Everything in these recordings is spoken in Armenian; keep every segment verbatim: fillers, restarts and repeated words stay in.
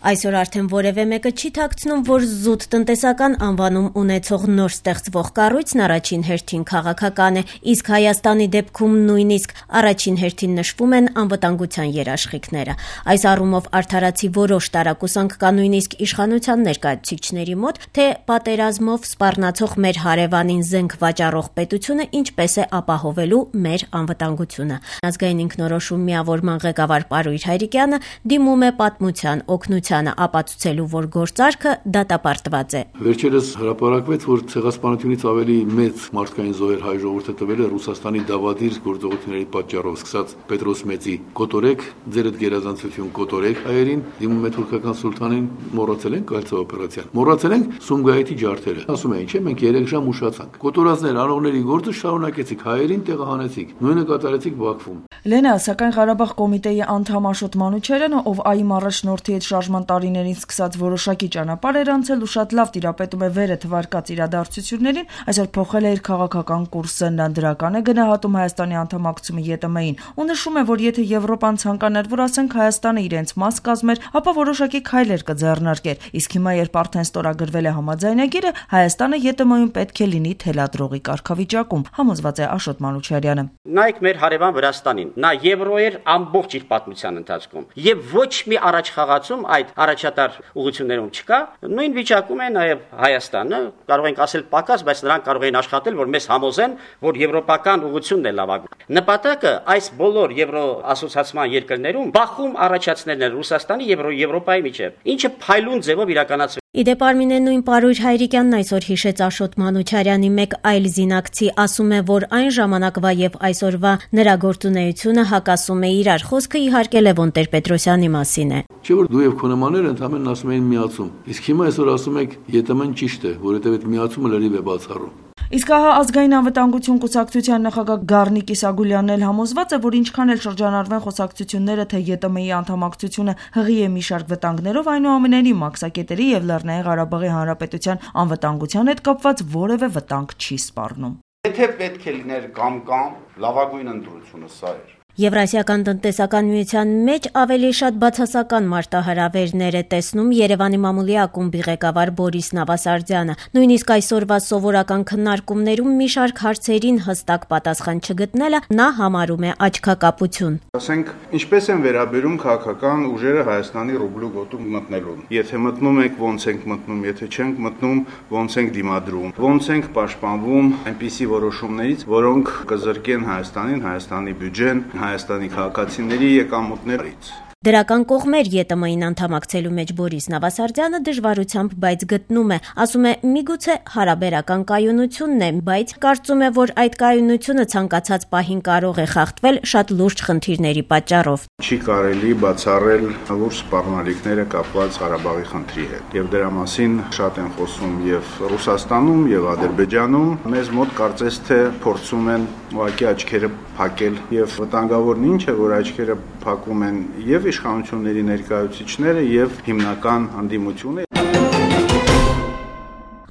Այսօր արդեն որևէ մեկը չի թաքցնում, որ զուտ տնտեսական անվանում ունեցող նոր ստեղծվող կառույցն առաջին հերթին քաղաքական է, իսկ Հայաստանի դեպքում նույնիսկ առաջին հերթին նշվում են անվտանգության երաշխիքները։ Այս առումով արդարացի որոշ տարակուսանք կա նույնիսկ իշխանության ներկայացուցիչների մոտ, թե պատերազմով սպառնացող մեր հարևանին զենք վաճառող պետությունը ինչպես է ապահովելու մեր անվտանգությունը։ Ազգային ինքնորոշում միավորման ղեկավար Պարույր Հայրիկյանը դիմում է պատմության օգնության ապացուցելու, որ գործարքը դատապարտված է։ Վերջերս հրապարակվեց, որ ցեղասպանությունից ավելի մեծ մարդկային զոհեր հայ ժողովուրդը տվել է Ռուսաստանի դավադիր գործողությունների պատճառով, սկսած Պետրոս Մեծի կոտորեք, ձերդ գերազանցություն կոտորեք հայերին, դիմում է թուրքական սուլթանին, մոռացել ենք Կալցա օպերացիան։ Մոռացել ենք Սումգայիթի ջարդերը։ Ասում էին, չէ, մենք երեք ժամ ուշացանք։ Կոտորածներ անողների գործը շարունակեցիք, հայերին տեղահանեցիք, նույնը կատարեցիք Բաքվում։ Լենա, սակայն Ղարաբաղ կոմիտեի անդամ Աշոտ Մանուչարյանը, ով ԱԻՄ առաջնորդի հետ շարժման տարիներին սկսած որոշակի ճանապարհ էր անցել ու շատ լավ տիրապետում է վերը թվարկած իրադարձություններին, այսօր փոխել է իր քաղաքական կուրսը, նա դրական է գնահատում Հայաստանի անդամակցումը ԵՏՄ-ին ու նշում է, որ եթե Եվրոպան ցանկանար, որ ասենք Հայաստանը իրենց մաս կազմեր, ապա որոշակի քայլեր կձեռնարկեր, իսկ հիմա երբ արդեն ստորագրվել է համաձայնագիրը, Հայաստանը ԵՏՄ-ում պետք է լինի թելադրողի կարգավիճակում, համոզված է Աշոտ Մանուչարյանը։ Նայեք մեր հարևան Վրաստանին, նա եվրո էր ամբողջ իր պատմության ընթացքում եւ ոչ մի առաջխաղացում այդ առաջատար ուղղություններում չկա, նույն վիճակում է նաեւ Հայաստանը, կարող ենք ասել պակաս, բայց նրանք կարող են աշխատել, որ մեզ համոզեն, որ եվրոպական ուղղությունն է լավագույն։ Նպատակը այս բոլոր եվրո ասոցիացիան երկրներում բախում առաջացնելն է Ռուսաստանի եւ Եվրոպայի միջեւ, ինչը փայլուն ձևով իրականացվում։ Իդեպ Արմինե նույն Պարույր Հայրիկյանն այսօր հիշեց Աշոտ Մանուչարյանի մեկ այլ զինակցի, ասում է, որ այն ժամանակվա եւ այսօրվա նրա գործունեությունը հակասում է իրար, խոսքը իհարկե Լևոն Տեր-Պետրոսյանի մասին է։ Չէ՞ որ դու եւ քո նմանները ընդհանրապես ասում էին միացում, իսկ հիմա այսօր ասում եք ԵՏՄ-ն ճիշտ է, որովհետեւ այդ միացումը լրիվ է բացառում։ Իսկ ահա ազգային անվտանգություն կուսակցության նախագահ Գառնիկ Իսագուլյանն էլ համոզված է, որ ինչքան էլ շրջանառվեն խոսակցությունները, թե ԵՏՄ-ի անդամակցությունը հղի է մի շարք վտանգներով, այնուամենայնիվ Մաքսակետերի եւ Լեռնային Ղարաբաղի Հանրապետության անվտանգության հետ կապված որևէ վտանգ չի սպառնում։ Եթե պետք է լիներ կամ-կամ, լավագույն ընտրությունը սա էր։ Եվրասիական տնտեսական միության մեջ ավելի շատ բացասական մարտահրավերներ է տեսնում Երևանի մամուլի ակումբի ղեկավար Բորիս Նավասարդյանը։ Նույնիսկ այսօրվա սովորական քննարկումներում մի շարք հարցերին հստակ պատասխան չգտնելը նա համարում է աչքակապություն։ Ասենք, ինչպես են վերաբերում քաղաքական ուժերը Հայաստանի ռուբլու գոտում մտնելուն։ Եթե մտնում եք, ոնց ենք մտնում, եթե չենք մտնում, ոնց ենք դիմադրում, ոնց ենք պաշտպանվում այնպիսի որոշումներից, որոնք կզրկեն Հայաստանին, Հայաստանի բյուջեն, Հայաստանի քաղաքացիների եկամուտներից։ Դրական կողմեր ԵՏՄ-ին անդամակցելու մեջ Բորիս Նավասարդյանը դժվարությամբ բայց գտնում է, ասում է միգուցե հարաբերական կայունությունն է, բայց կարծում է, որ այդ կայունությունը ցանկացած պահին կարող է խախտվել շատ լուրջ խնդիրների պատճառով։ Չի կարելի բացառել լուրջ սպառնալիքները կապված Ղարաբաղի խնդրի հետ։ Եվ դրա մասին շատ են խոսում եւ Ռուսաստանում եւ Ադրբեջանում, մեզ մոտ կարծես թե փորձում են ուղղակի աչքերը փակել եւ վտանգավորն ինչ է, որ աչքերը փակում են եւ իշխանությունների ներկայացուցիչները եւ հիմնական հանդիմությունը։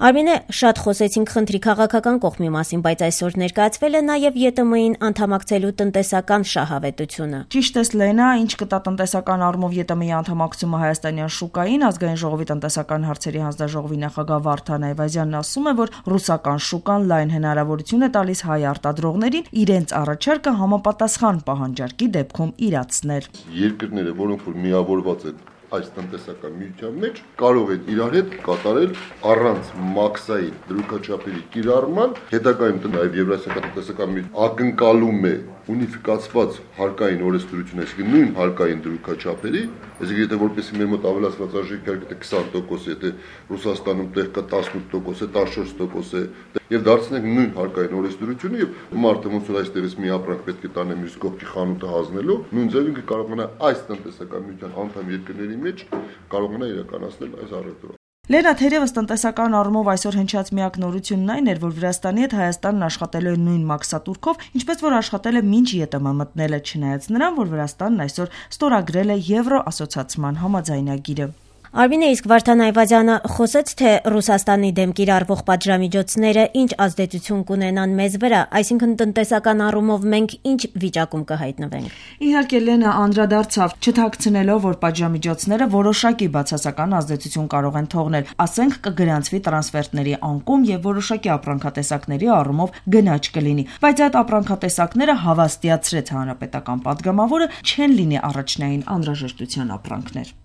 Արմինե, շատ խոսեցինք խնդրի քաղաքական կողմի մասին, բայց այսօր ներկայացվել է նաև ԵՏՄ-ին անդամակցելու տնտեսական շահավետությունը։ Ճիշտ է, Լենա, ինչ կտա տնտեսական առումով ԵՏՄ-ի անդամակցումը հայաստանյան շուկային, ազգային ժողովի տնտեսական հարցերի հանձնաժողովի նախագահ Վարդան Այվազյանն ասում է, որ ռուսական շուկան լայն հնարավորություն է տալիս հայ արտադրողներին իրենց առաջարկը համապատասխան պահանջարկի դեպքում իրացնել։ Երկրները, որոնք որ միավորված են այս տնտեսական միության մեջ կարող են իրար հետ կատարել առանց մաքսային դրույքաչափերի կիրառման, հետագայում նաև Եվրասիական տնտեսական միությունը ակնկալում է ունիֆիկացված հարկային օրենսդրություն, այսինքն նույն հարկային դրույքաչափերի, այսինքն եթե որպեսզի մեր մոտ ավելացված արժեքի հարկը քսան տոկոս է, եթե Ռուսաստանում տեղ կա տասնութ տոկոս է, տասնչորս տոկոս է, եւ դարձնենք նույն հարկային օրենսդրությունը եւ մարդը ոնց որ այստեղից մի ապրանք պետք է տանե մյուս կողքի խանութը հանձնելու, նույն ձևին կարողանա այս տնտեսական միության անդամ երկրների մեջ կարողանա իրականացնել այս առևտուրը։ Լենա, թերևս տնտեսական առումով այսօր հնչած միակ նորությունն այն էր, որ Վրաստանի հետ Հայաստանն աշխատելու է նույն մաքսատուրքով, ինչպես որ աշխատել է մինչ ԵՏՄ մտնելը, չնայած նրան, որ Վրաստանն այսօր ստորագրել է Եվրո ասոցիացիան համաձայնագիրը։ Արմինե, իսկ Վարդան Այվազյանը խոսեց, թե Ռուսաստանի դեմ կիրառվող պատժամիջոցները ինչ ազդեցություն կունենան մեզ վրա, այսինքն տնտեսական առումով մենք ինչ վիճակում կհայտնվենք։ Իհարկե Լենը անդրադարձավ, չթաքցնելով, որ պատժամիջոցները որոշակի բացասական ազդեցություն կարող են թողնել, ասենք կգրանցվի տրանսֆերտների անկում եւ որոշակի ապրանքատեսակների առումով գնաճ կլինի, բայց այդ ապրանքատեսակները հավաստիացրեց հանրապետական պատգամավորը չեն լինի առաջնային անհրաժեշտության ապրանքներ։